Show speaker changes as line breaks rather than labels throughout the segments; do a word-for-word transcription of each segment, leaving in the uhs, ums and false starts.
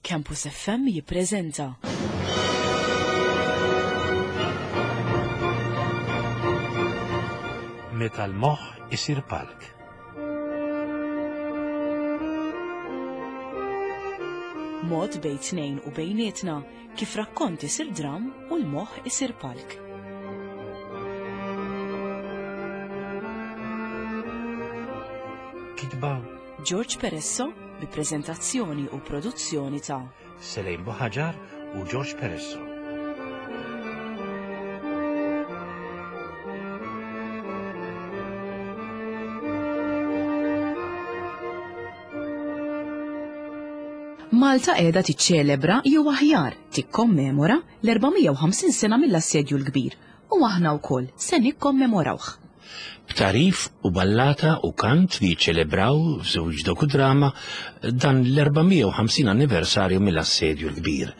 Campus F M jippreżenta
Meta l-moħħ isir palk.
Mod bejn tnejn u bejnietna kif rakkont isir dram u l-moħħ isir palk.
Kitba
George Peresso bi preżentazzjoni u produzzjoni ta'
Selejn Buħaġar u George Peresso.
Malta qiegħda tiċċelebra jew aħjar tikkommemora l-erba' mija u ħamsin sena mill-Assedju l-Kbir u aħna wkoll se nikkommemorawh.
B'tarif u ballata u kant li jiċċelebraw f'żewġ dokudrama dan l-erba' mija u ħamsin anniversarju mill-Assedju l-Kbir.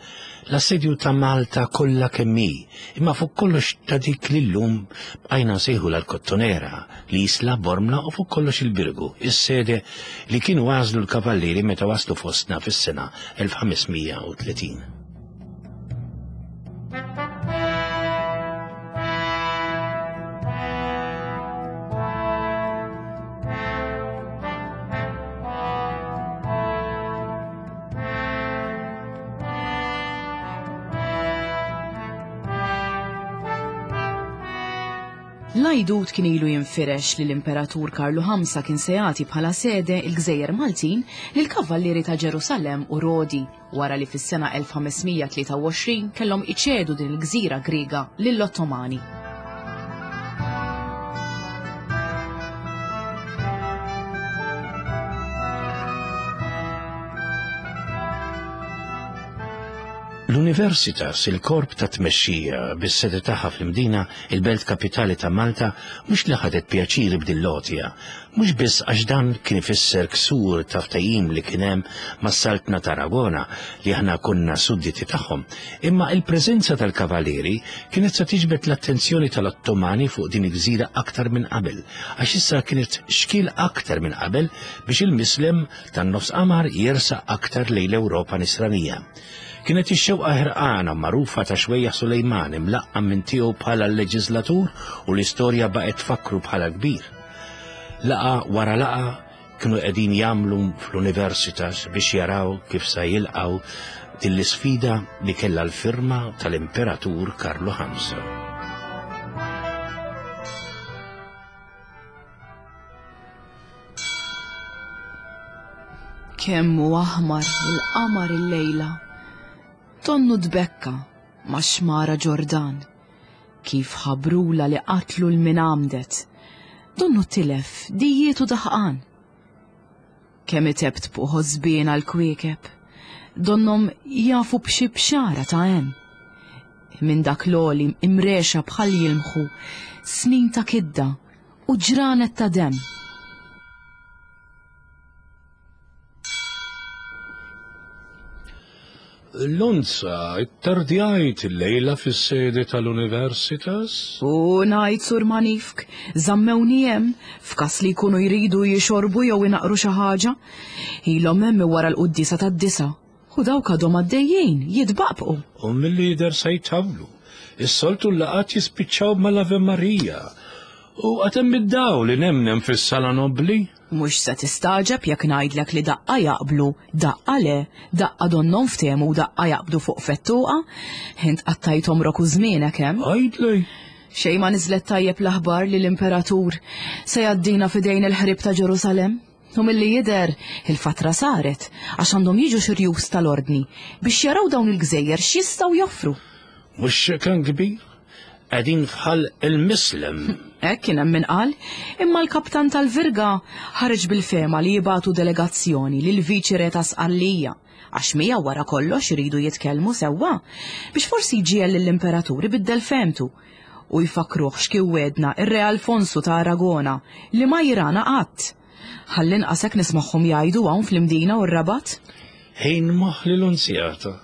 L-assedju ta' Malta kollha kemm hi, imma fuq kollox ta' dik li llum bqajna nsejħu l-Kottonera, l-Isla, Bormla u fuq kollox il-Birgu, is-sede li kienu għażlu l-kavallieri meta waslu fostna fis-sena elf ħames mija u tletin.
L-għajdut kien ilu jinfirex li l-Imperatur Karlu ħamsa kien se jagħti bħala sede l-Gżejjer Maltin lill-Kavallieri ta' Ġerusalemm u Rodi wara li fis-sena elf ħames mija tlieta u għoxrin kellhom iċedu din il-gżira Griega lill-Ottomani.
L-Universitas, il-korp ta' tmexxija bis-sede tagħha fl-Imdina, il-belt kapitali ta' Malta, mhux li ħadet pjaċir b'din l-għotja, mhux biss għax dan kien ifisser ksur ta' ftehim li kien hemm mas-Saltna ta' Aragona li aħna konna sudditi tagħhom, imma il-preżenza tal-Kavalieri kienet se tiġbed l-attenzjoni tal-Ottomani fuq din il-gżira aktar minn qabel, għax issa kienet xkiel aktar minn qabel biex il-Mislem tan-nofs qamar jersaq aktar lejn l-Ewropa nisranija. Kienet ix-xewqa ħerqana magħrufa ta' Xwejjaħ Sulejman imlaqqam minn tiegħu bħala l-leġislatur u l-istorja baqgħet tfakru bħala kbir. Laqa wara laqa kienu qegħdin jagħmlu fl-Universitas biex jaraw kif sa jilqgħu din l-isfida li kellha l-firma tal-Imperatur Karlu ħamsa.
Kemm hu aħmar il-qamar illejla, tonnu tbekka ma' xmara Ġordan, kif ħabrula li qatlu l-min għamdet, donnu tilef dijietu daħqan. Kemm itebt fuq ħosbien għal-kwiekeb, donnom jafu b'xi bxara ta' hemm. Minn dak l-għoli imrexa bħal jilmħu snin ta' kidda u ġranet ta' demm.
Lonza, ittardjajt il-lejla fis-sede tal-Universitas?
U ngħid Sur Manifk, żammewni hemm f'każ li jkunu jridu jixorbu jew inaqru xi ħaġa. Ilhom hemm wara l-quddiesa tad-disa. U dawk għadhom għaddejjin jitbaqbqu.
U mill-lider se jtawlu. Is-soltu l-laqat jispiċċaw mal-Ave Maria. U għad hemm id-dawl li nemnem fis-sala nobli?
Mhux se tistaġeb jekk ngħidlek li daqqa jaqblu, daqqa le, daqqa donnom ftehmu u daqqa jaqbdu fuq fettuqa. Int qattajt omrok u żmienek hemm.
Għidli.
Xejn ma niżlet tajjeb l-aħbar li l-Imperatur se jgħaddina f'idejn il-ħrib ta' Ġerusalemm. U milli jidher il-fatra saret għax għandhom jiġu xi rjus tal-ordni biex jaraw dawn il-gżejjer x'jistgħu joffru.
Mhux kan kbir? Qegħdin fħal il-Mislem.
Hekk kien hemm min qal, imma l-kaptan tal-Virga ħareġ bil-fema li jibgħatu delegazzjoni lil viċi re ta' Sqallija, għax miegħu wara kollox iridu jitkellmu sewwa biex forsi jġiegħel lill-Imperatur ibiddel femtu u jfakruh x'kien wedna ir-Re Alfonsu ta' Aragona li ma jirana qatt. Ħalli inqas hekk nismagħhom jgħidu hawn fl-Imdina u r-Rabat.
Ħin moħħ l-Lunzjata,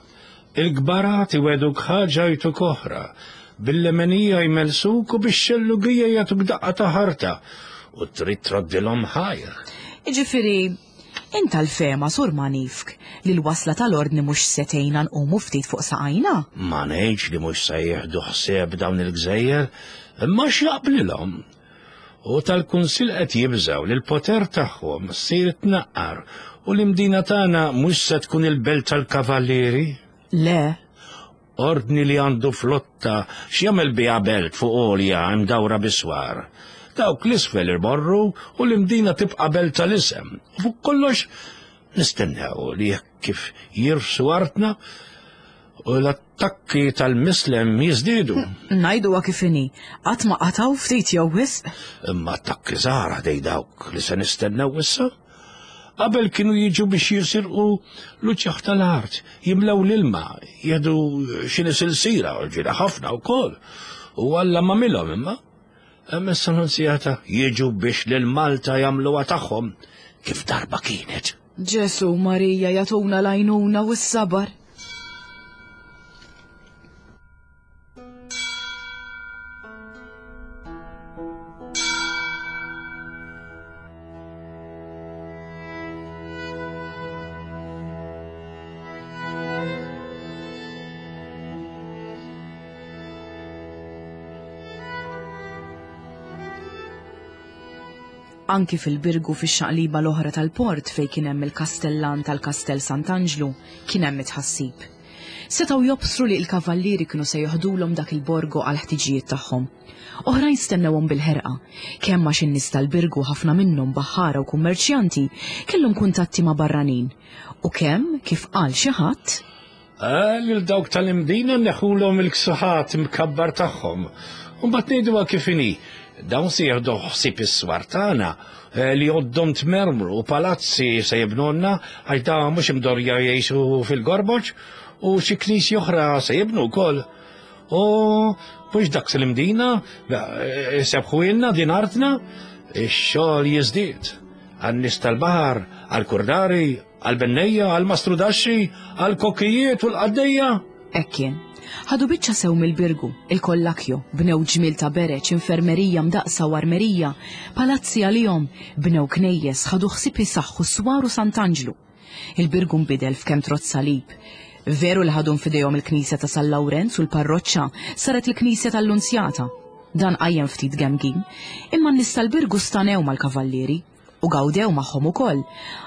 il-kbarat iweduk ħaġa jtuk oħra, bil-lemenija jmelsuk u bix-xellugija jagħtuk daqqa ta' ħarta u trid troddilhom ħajr.
Jiġifieri, Int tal-fehma, Sur Manifk, li l-wasla tal-ordni mhux se tgħinna nqumu ftit fuq saqajna?
Ma ngħidx li mhux se jieħdu ħsieb dawn il-gżejjer, imma x'jaqblilhom. U tal-kunsill qed jibżgħu li l-poter tagħhom ssir tnaqqar u l-imdina tagħna mhux se tkun il-belt tal-kavallieri.
Le.
Ordni li għandu flotta x'jagħmel biha belt fuq għolja mdawra biswar. Dawk l-isfel imorru u l-imdina tibqa' belt tal-isem. U fuq kollox nistennew li jekk kif jirfsu artna u l-attakki tal-mislem jiżdiedu.
Ngħiduha kif inhi, qatt ma qatgħu ftit jew wisq.
Imma attakki żgħar ħdej dawk li se nistennew issa. Qabel kienu jiġu biex jisirqu l-uċċaħ tal-art, jimlew l-ilma, jieħdu xi nisilsira, ġiela ħafna wkoll. U Alla m'għamilhom imma. Imma issa Nunzjata jiġu biex lil Malta jagħmluha tagħhom kif darba kienet.
Ġesu Marija jagħtuna l-għajnuna u s-sabar. Anki fil-Birgu fix-xaqliba l-oħra tal-port fejn kien hemm il-kastellan tal-Kastell Sant'Anġlu kien hemm it-tħassib. Setgħu jobsru li l-kavallieri kienu se joħdulhom dak il-borgo għal ħtiġijiet tagħhom. Oħrajn stennewhom bil-ħerqa, kemm għax in-nies tal-Birgu ħafna minnhom baħħara u kummerċjanti kellhom kuntatti ma' barranin, u kemm kif qal xi ħadd
Lil dawk tal-imdina neħulhom il-ksuħat imkabbar tagħhom. U mbagħad ngħiduha kif inhi. Dawn se jieħdu ħsieb is-swar tagħna li għoddhom tmermru u palazzi se jibnulna għax dawn mhux imdorja jgħixu fil-gorboġ u xi knisja oħra se jibnu wkoll. U mhux dak l-imdina sebħu ilna din artna, ix-xogħol jiżdied. Għan-nies tal-baħar, għall-kurdari, għall-bennejja, għall-mastrudaxxi, għall-kokkijiet u l-qaddejja.
Hekk kien. Ħadu biċċa sew mill-Birgu, il-Kollakjo, bnew ġmiel ta' bereċ, infermerija mdaqsa u armerija, palazzi għalihom, bnew knejjes, ħadu ħsieb isaħħu swar u Sant'Anġlu. Il-Birgu nbidel f'kemm trott salib. Veru li ħadu f'idejhom il-Knisja ta' San Lawrenz u l-parroċċa saret il-Knisja tal-Lunzjata. Dan qajjem ftit gemgim, imma n-nies tal-Birgu stanew mal-kavallieri u gawdew magħhom ukoll,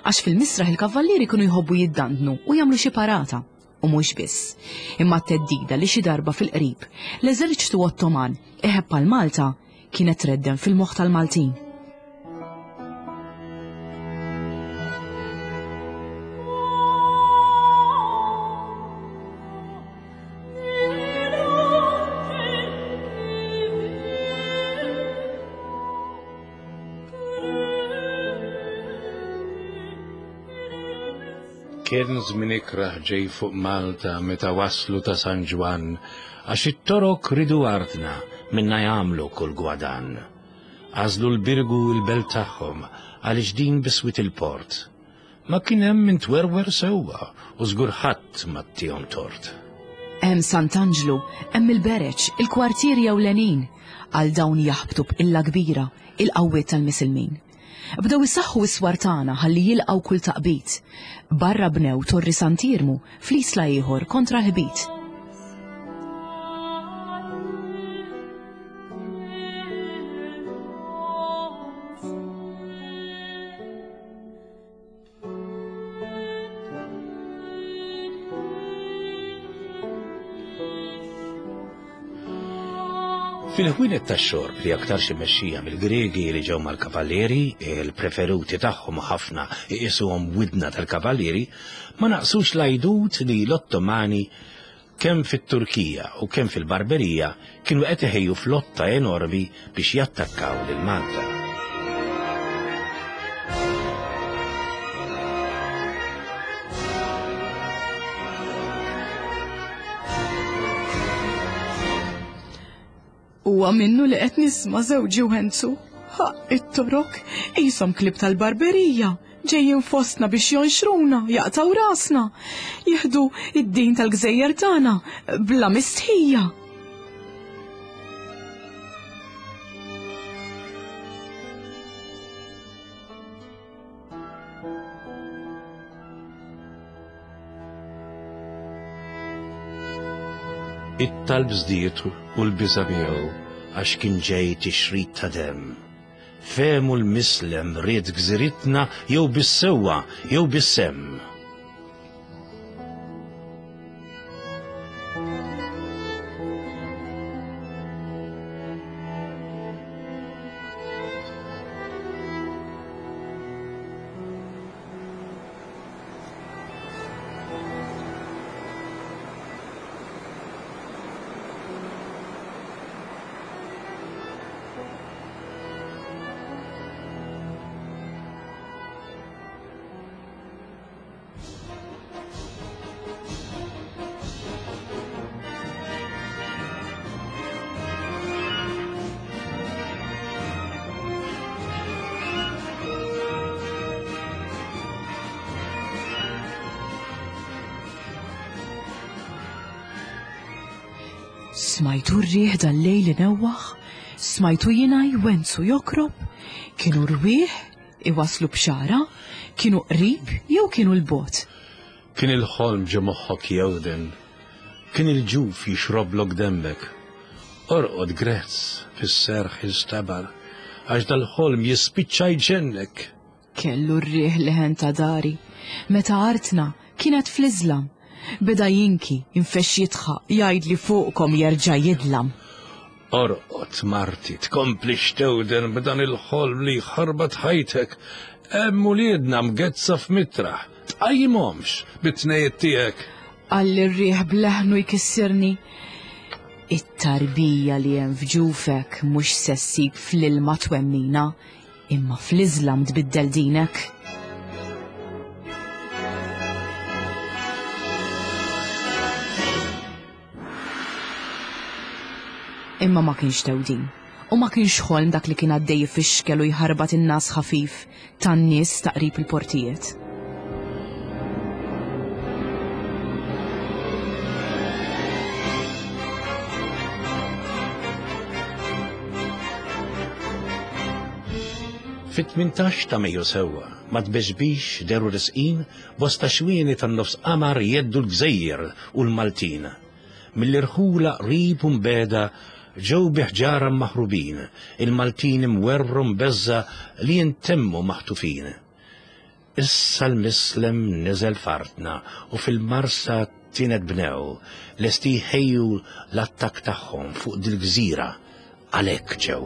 għax fil-misraħ il-kavallieri kienu jħobbu jiddandnu u jagħmlu xi parata. U mhux biss, imma t-theddida li xi darba fil-qrib l-eżerċtu Ottoman iħebb għal Malta kienet treddem fil-moħħ tal-Maltin.
Kien żmien ikrah ġej fuq Malta meta waslu ta' San Ġwann, għax it-Torok ridu artna minna jagħmlu kull gwadan. Għażlu l-Birgu l-belt tagħhom għaliex din biswit il-port. Ma kien hemm min twerwer sewwa u żgur ħadd ma ttihom tort.
Hemm Sant'Anġlu, hemm il-Bereċ, il-kwartieri ewlenin, għal dawn jaħbtu b'qilla kbira il-qawwiet tal-Misilmin. Bdew isaħħu s-swar tagħna ħalli jilqgħu kull taqbid. Barra bnew Torri Sant'Iermu fl-isla ieħor kontra l-ħbit.
Fil-ħwienet tax-xorb li aktarx imexxija mill-Griegi li ġew mal-kavallieri, il-preferuti tagħhom ħafna iqisuhom widna tal-kavallieri, ma naqsux l-għajdut li l-Ottomani kemm fit-Turkija u kemm fil-Barberija kienu qed iħejju flotta enormi biex jattakkaw lil Malta.
Huwa minnu li qed nisma' żewġi u Enzu. Ħaqq it-Torok qishom klieb tal-Barberija, ġejjin fostna biex jonxruna, jaqtaw rasna, jieħdu id-din tal-gżejjer tagħna bla mistħija.
It-talb żdied u l-biża' miegħu għax kien ġej tixrid ta' demm. Fehmu l-mislem ried gżiritna jew bis-sewwa jew bis-semm.
Smajtu r-riħ dal-lejl inewwaħ, smajtu jiena jwensu jokrob, kienu rwieħ iwaslu bxara, kienu qrib jew kienu l-bot.
Kien il-ħolm ġo moħħok jewden, kien il-ġuf jixroblok demmek. Orqod grezz fis-serħ istabar, għax dal-ħolm jispiċċa jġennek.
Kellu r-riħ leħen ta' dari, meta artna kienet fl-Iżlam. Beda jinki, infex jitħaq, jgħid li fuqkom jerġa' jidlam.
Orqod marti, tkompli xtewden b'dan il-ħolm li ħarbat ħajtek. Hemm uliedna mgezza f'mitraħ, tqajjimhomx bit-tnejjiet tiegħek.
Qalli r-riħ bleħnu jkissirni. It-tarbija li hemm f'ġufek mhux se ssib fl-ilma twemmina, imma fl-Iżlam tbiddel dinek. Imma ma kienx tewdin, u ma kienx ħolm dak li kien għaddej ifixkel u jħarbat in-nas ħafif tan-nies ta' qrib il-portijiet.
Fit-tmintax ta' Mejju sewwa, ma tbeġbix deru risqin bosta xwieni tan-nofs qamar jeddu l-gżejjer u l-Maltin. Mill-irħula qrib u mbeda ġew bi ħġara maħrubin, il-Maltin imwerwru mbeżża li jintemmu maħtufin. Issa l-mislem niżel f'artna u fil-marsa tienet bnew, lesti jħejju l-attakk tagħhom fuq dil-gżira, għalhekk ġew.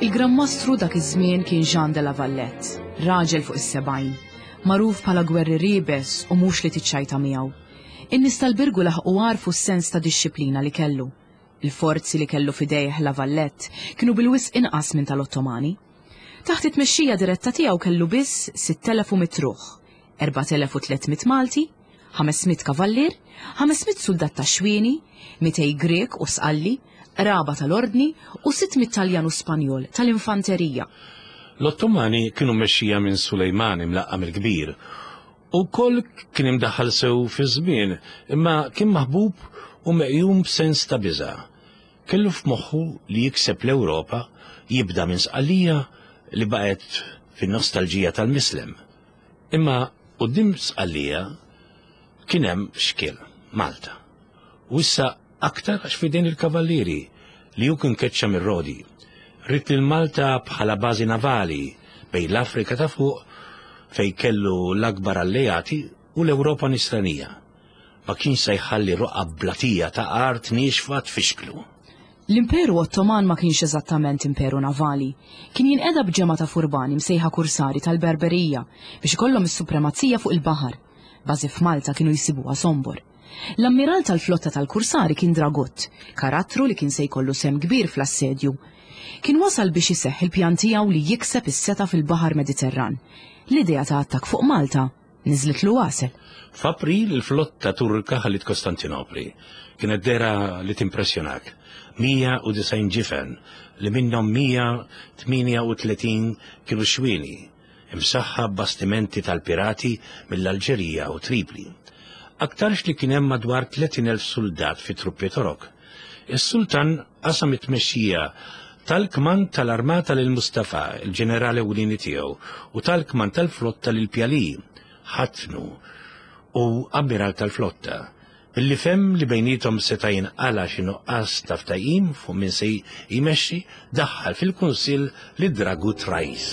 Il-Gran Mastru dak iż-żmien kien Jean de la Valette, raġel fuq is-sebgħin, magħruf bħala gwerri ribes u mhux li tiċċajta miegħu. In-nies tal-Birgu laħqu għarfu s-sens ta' dixxiplina li kellu. Il-forzi li kellu f'idejh la Valette kienu bil-wisq inqas minn tal-Ottomani. Taħt it-tmexxija diretta tiegħu kellu biss sitt elef u mitt ruħ, erbat elef u tliet mitt Malti, ħames mitt kavallier, ħames mitt soldat ta' xwieni, mitej Grek u Sqalli, qraba tal-Ordni u sitt mitt Taljan u Spanjol tal-infanterija.
L-Ottomani kienu mmexxija minn Sulejman imlaqqam il-Kbir. U koll kien imdaħħal sew fi żmien, imma kien maħbub u meqjum b'sens ta' biża'. Kellu f'moħħu li jikseb l-Ewropa, jibda minn Sqallija li baqgħet fin-nostalġija tal-Mislem. Imma quddiem Sqallija kien hemm xkiel, Malta. U issa aktar għax fidejn il-kavallieri li hu kien keċċa mir-Rodi. Ried lil Malta bħala bażi navali bejn l-Afrika ta' fuq fej kellu l-akbar alleati u l-Ewropa nisranija. Ma kienx se jħalli roqgħa blatija ta' art niexfa tfixklu.
L-Imperu Ottoman ma kienx eżattament imperu navali. Kien jinqeda b'ġemgħa ta' furbani msejħa kursari tal-Berberija biex ikollhom is-supremazija fuq il-baħar. Bażi f'Malta kienu jsibuha sombor. L-ammiral tal-flotta tal-kursari kien Dragut, karattru li kien se jkollu sem kbir fl-assedju. Kien wasal biex iseħħ il-pjan tiegħu li jikseb is-seta fil-Baħar Mediterran. L-idea ta' attakk fuq Malta niżlitlu għasel.
F'April il-flotta Turka ħallit Kostantinopli. Kienet dera li timpressjonak. mija u disgħin ġifen li minnhom mija tmienja u tletin kienu xwieni, imsaħħa bastimenti tal-pirati mill-Alġerija u Tripli. Aktarx li kien hemm madwar tletin elf soldat fi truppi Torok. Is-sultan qasam it-tmexxija tal-kmand tal-armata lil Mustafa, il-ġenerali ewlieni tiegħu, u tal-kmand tal-flotta lil Pjali, ħatnu u ammiral tal-flotta. Billi fem li bejnietom seta' jinqala xi nuqqas ta' ftehim fuq min se jmexxi, daħħal fil-kunsill lid Dragut Rajs.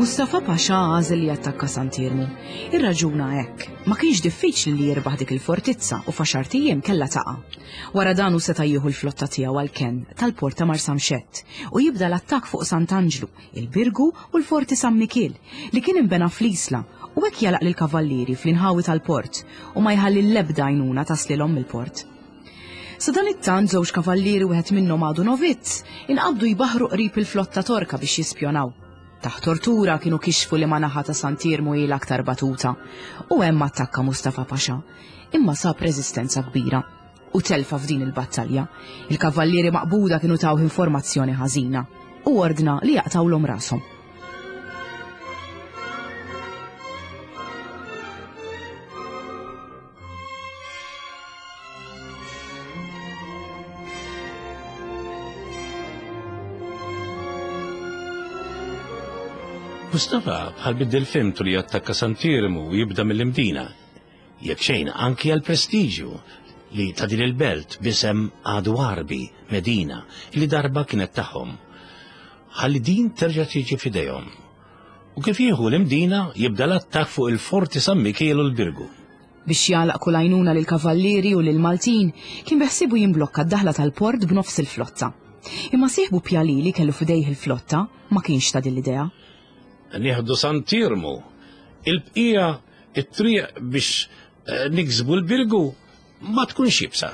Mustafa Pasha għażel li jattakka Sant'Iermu. Irraġuna hekk, ma kienx diffiċli li jirbaħ dik il-fortizza u f'għaxart ijiem kellha taqa'. Wara dan hu seta' jieħu l-flotta tiegħu għall-kenn tal-port ta' Marsamxett u jibda l-attakk fuq Sant'Anġlu, il-Birgu u l-Forti San Mikiel li kien inbena fl-Isla u hekk jalaq lill-kavallieri fl-inħawi tal-port u ma jħalli l-ebda għajnuna taslilhom mill-port. Sa dan it-tant żewġ kavallieri wieħed minnhom għadu novizz inqabdu jbaħru qrib il-flotta Torka biex jispjonaw. Taħt tortura kienu kixfu li ma naħa ta' Sant'Iermu hi l-aktar batuta u hemm attakka Mustafa Pasha, imma sab reżistenza kbira u telfa f'din il-battalja. Il-kavallieri maqbuda kienu tawh informazzjoni ħażina u ordna li jaqtawlhom rashom.
Mustafa bħal biddel fimtu li jattakka Sant'Iermu u jibda mill-Imdina. Jekk xejn anki għal prestiġju li ta' din il-belt b'isem għadu Għarbi, Medina, li darba kienet tagħhom. Ħalli din terġa' tiġi f'idejhom. U kif jieħu l-Imdina jibda l-attakk fuq il-Forti San Mikiel u l-Birgu.
Biex jagħlaq kull għajnuna lill-kavallieri u lill-Maltin, kien beħsiebu jimblokka d-daħla tal-port b'nofs il-flotta. Imma sieħbu Pjali li kellu f'idejh il-flotta ma kienx ta' din l-idea.
Nieħdu Sant'Iermu, il-bqija it-triq biex niksbu l-Birgu ma tkunx jibsa.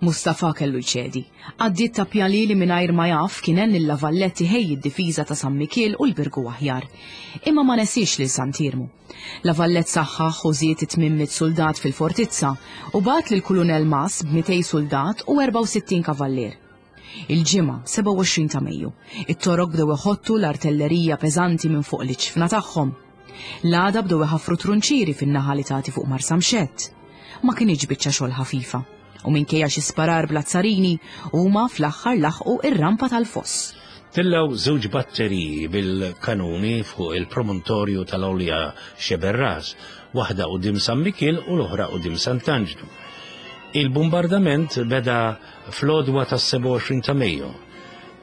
Mustafa kellu jċedi. Għaddiet ta' Pjali li mingħajr ma jaf kien hemm lil La Vallette ħejji d-difiża ta' San Mikiel u l-Birgu aħjar. Imma ma nesiex lil Sant'Iermu. La Vallette saħħaħ u żied tmien mitt soldat fil-fortizza u bagħat lil Kulunel Mas b'mitej soldat u erbgħa u sittin kavallier. Il-ġimgħa sebgħa u għoxrin ta' Mejju, it-Torok bdew iħottu l-artillerija peżanti minn fuq l-iċfna tagħhom. L-għada bdew iħaffru trunċieri fin-naħa li tagħti fuq Marsamxett. Ma kienx biċċa xogħol ħafifa u minkejja xi sparar bl-azzarini huma fl-aħħar laħqu ir-rampa tal-foss.
Tillgħu żewġ batteriji bil-kanuni fuq il-promontorju tal-Għolja Xeberras, waħda quddiem San Mikiel u l-oħra quddiem Sant'Anġlu. Il-bombardament beda fl-għodwa tas-sebgħa u għoxrin ta' Mejju.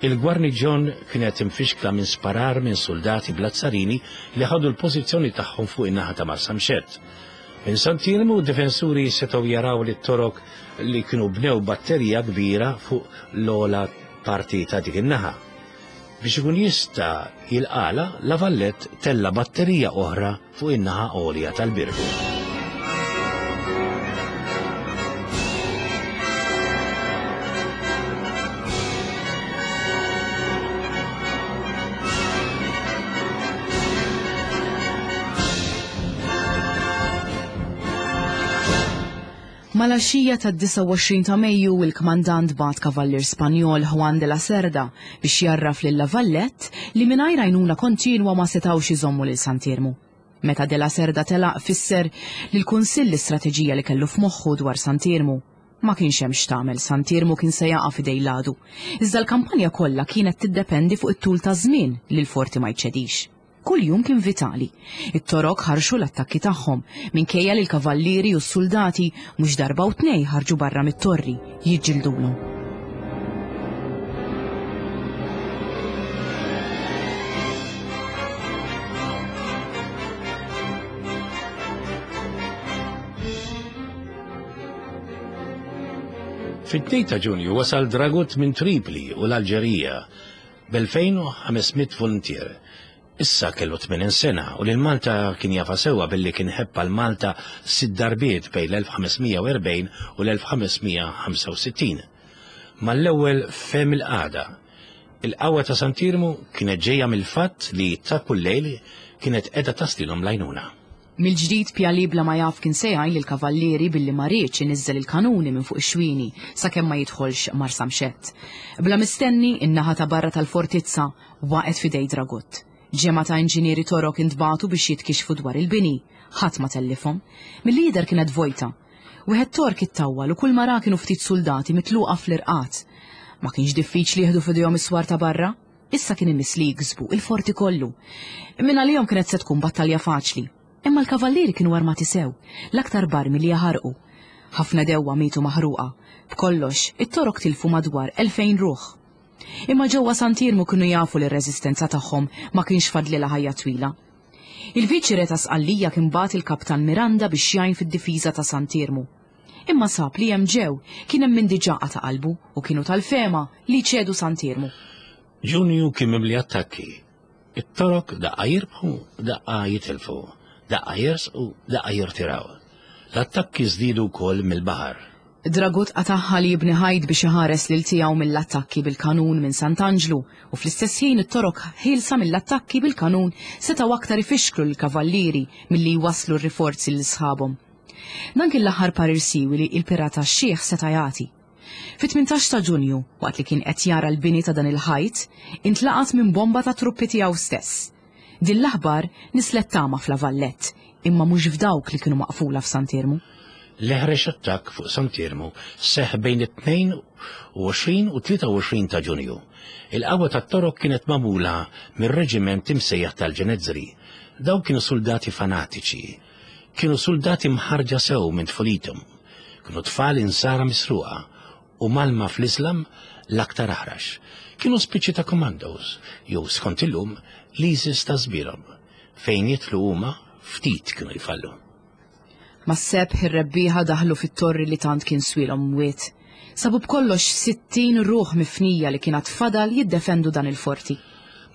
Il-gwarniġjon kienet imfixkla minn sparar minn soldati bl-azzarini li ħadu l-pożizzjoni tagħhom fuq in-naħa ta' Marsamxett. Minn Sant'Iermu d-difensuri setgħu jaraw li t-Torok li kienu bnew batterija kbira fuq l-ogħla parti ta' dik in-naħa. Biex ikun jista' jilqala, La Vallette tella batterija oħra fuq in-naħa għolja tal-Birgu.
Mal-għaxija tad-disgħa u għoxrin ta' Mejju il-kmandant bagħat kavallier Spanjol Juan de la Cerda biex jarraf lil La Vallette li mingħajr għajnuna kontinwa ma setgħux iżommu lil Sant'Iermu. Meta de la Cerda telaq fisser li l-Kunsill l-istrateġija li kellu f'moħħu dwar Sant'Iermu. Ma kienx hemm x'tagħmel, Sant'Iermu kien se jaqa' f'idej l-għadu. Iżda l-kampanja kollha kienet tiddependi fuq it-tul ta' żmien li l-forti ma jċedix. Kull jum kien vitali. It-Torok ħarxu l-attakki tagħhom minkejja li l-kavallieri u s-soldati mhux darba u tnej ħarġu barra mit-torri jiġġildulhom.
Fit-tnejn ta' Ġunju wasal Dragut minn Tripli u l-Alġerija b'elfejn u ħames mitt voluntier. Issa kellu tmenin sena u lil Malta kien jafa sewwa billi kien ħebb għal Malta sitt darbiet bejn l-elf ħames mija u erbgħin u l-elf ħames mija ħamsa u sittin. Mal-ewwel fhem il-qagħda. Il-qawwa ta' Sant'Iermu kienet ġejja mill-fatt li ta' kull lejl kienet qiegħda taslilhom l-għajnuna.
Mill-ġdid Pjalì bla ma jaf kien se jgħin lill-kavallieri billi ma riedx iniżżel il-kanuni minn fuq ix-xwieni sakemm ma jidħolx Marsamxett. Bla mistenni, in-naħa ta' barra tal-fortizza waqgħet f'idej Dragut. Ġemgħa ta' inġinieri Torok intbagħtu biex jitkixxfu dwar il-bini. Ħadd ma tellifhom. Milli jidher kienet vojta. Wieħed Tork ittawwal u kull ma ra kienu ftit suldati mitluqa fl-irqat. Ma kienx diffiċli jieħdu f'idejhom is-swar ta' barra. Issa kien imiss li jiksbu il-forti kollu. Minn għalihom kienet se tkun battalja faċli. Imma l-kavallieri kienu armati sew, l-aktar barmi li jaħarqu. Ħafna dewwa mietu maħruqa. B'kollox, it-Torok tilfu madwar elfejn ruħ. Imma ġewwa Sant'Iermu kienu jafu li r-reżistenza tagħhom ma kienx fadlilha ħajja twila. Il-viċi re ta' Sqallija kien bagħat il-Kaptan Miranda biex jgħin fid-difiża ta' Sant'Iermu. Imma sab li hemm ġew kien hemm min diġà qata' qalbu u kienu tal-fehma li jċedu Sant'Iermu.
Ġunju kien mimli attakki. It-Torok daqqa jirbħu, daqqa jitilfu, daqqa jersqu, daqqa jirtiraw. L-attakki żdiedu wkoll mill-baħar.
Dragut qatagħha li jibni ħajt biex iħares lil tiegħu mill-attakki bil-kanun minn Sant'Anġlu u fl-istess ħin it-Torok ħielsa mill-attakki bil-kanun setgħu aktar ifixklu lill-kavallieri milli jwasslu r-riforzi lil sħabhom. Dan kien l-aħħar parir siwi li l-pirata x-xiħ seta' jagħti. Fit-tmintax ta' Ġunju, waqt li kien qed jara l-bini ta' dan il-ħajt, intlaqat minn bomba ta' truppi tiegħu stess. Din l-aħbar nislet tama f'La Vallette, imma mhux f'dawk li kienu maqfula f'Sant'Iermu.
L-eħrex attakk fuq Sant'Iermu seħħ bejn it-tnejn u għoxrin u tlieta u għoxrin ta' Ġunju. Il-qawwa tat-Torok kienet magħmula mir-reġiment imsejjaħ tal-Ġenezzri. Dawk kienu soldati fanatiċi. Kienu soldati mħarġa sew minn tfulithom. Kienu tfal insara misruqa u malma fl-Islam l-aktar aħrax. Kienu spiċċi ta' commandos, jew skont illum l-ISIS ta' żbierhom. Fejn jitlu huma ftit kienu jfallu.
Mas-sebħ ir-rebbieħa daħlu fit-torri li tant kien swilhom mwiet. Sabu b'kollox sittin ruħ mifnija li kien għad fadal jiddefendu dan il-forti.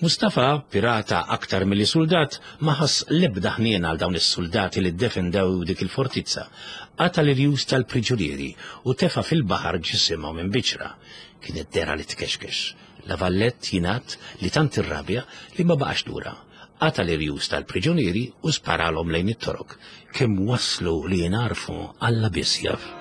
Mustafa, pirata aktar milli soldat, ma ħass l-ebda ħniena għal dawn is-soldati li ddefendew dik il-fortizza. Qata' l-irjus tal-priġunieri u tefa' fil-baħar ġisimhom minn biċra. Kienet dera li tkexkex. La Vallette jingħad li tant irrabja li ma baqax lura. Qata' l-irjus tal-priġunieri u sparalhom lejn it-Torok. Kemm waslu li jingħarfu Alla biss jaf.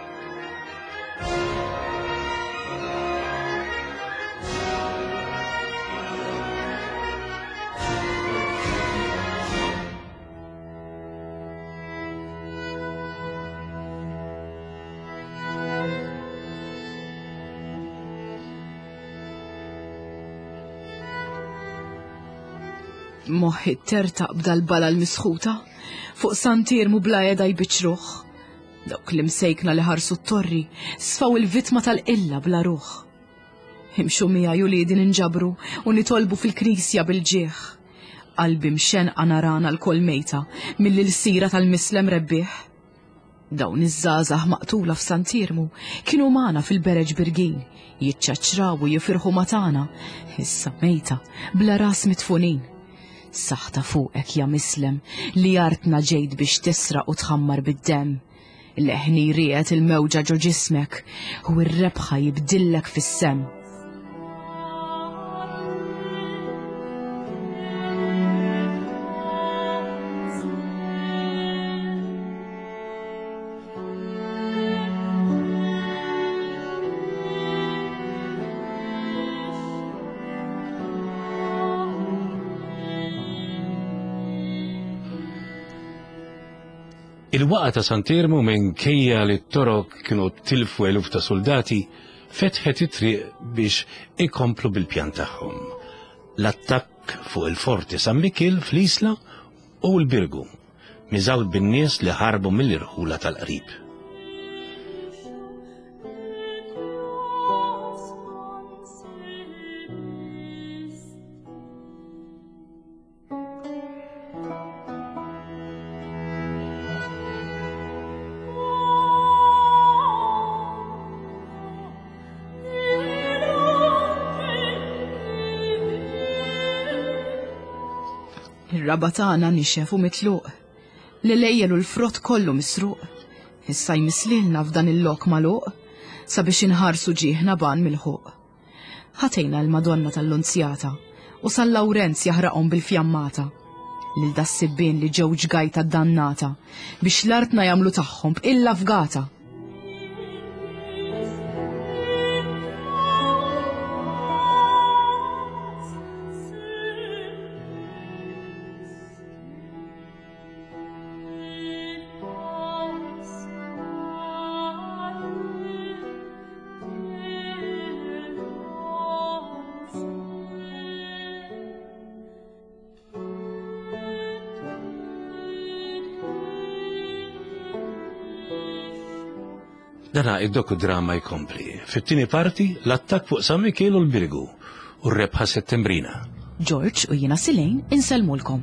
Moħħi tertaq b'dal-bala l-misħuta, fuq Sant'Iermu bla qiegħda jbiċċruh. Dawk l-imsejkna li ħarsu t-torri sfaw il-vittma tal-qilla bla ruħ. Imxu miegħi uliedi ninġabru u nitolbu fil-knisja bil-ġieħ. Qalbi mxenqa narana l-kol mejta mill-ilsira tal-mislem rebbieħ. Dawn iż-żgħażagħ maqtula f'Sant'Iermu kienu magħna fil-bereġ Birgin, jiċċaċċraw u jifirħu ma' tagħna, issa mejta bla ras mitfunin. Saħta fuqek ja mislem li artna ġejt biex tisraq u tħammar bid-demm. Leħni riet il-mewġa ġo ġismek u r-rebħa jibdillek fis-sem.
Il-waqa ta' Sant'Iermu minkejja li t-Torok kienu tilfu eluf ta' soldati fetħet it-triq biex ikomplu bil-pjan tagħhom. L-attakk fuq il-forti San Mikiel fl-Isla u l-Birgu, miżawd bin-nies li ħarbu mill-irħula tal-qrib.
Ir-raba tagħna nixef u mitluq. L-lejjel u l-frott kollu misruq. Issa jmislilna f'dan il-lok magħluq sabiex inħarsu ġieħna ban mill-ħuq. Ħatejna l-Madonna tal-Lunzjata u San Lawrenz jaħraqhom bil-fjammata. Lil das-sibbien li ġew ġgajta dannata biex l-artna jagħmlu tagħhom b'illa fgata.
Dana id-dokudrama jkompli. Fit-tieni parti, l-attakk fuq San Mikiel u l-Birgu u r-rebħa Settembrina.
George u jiena Silejn insellmulkom.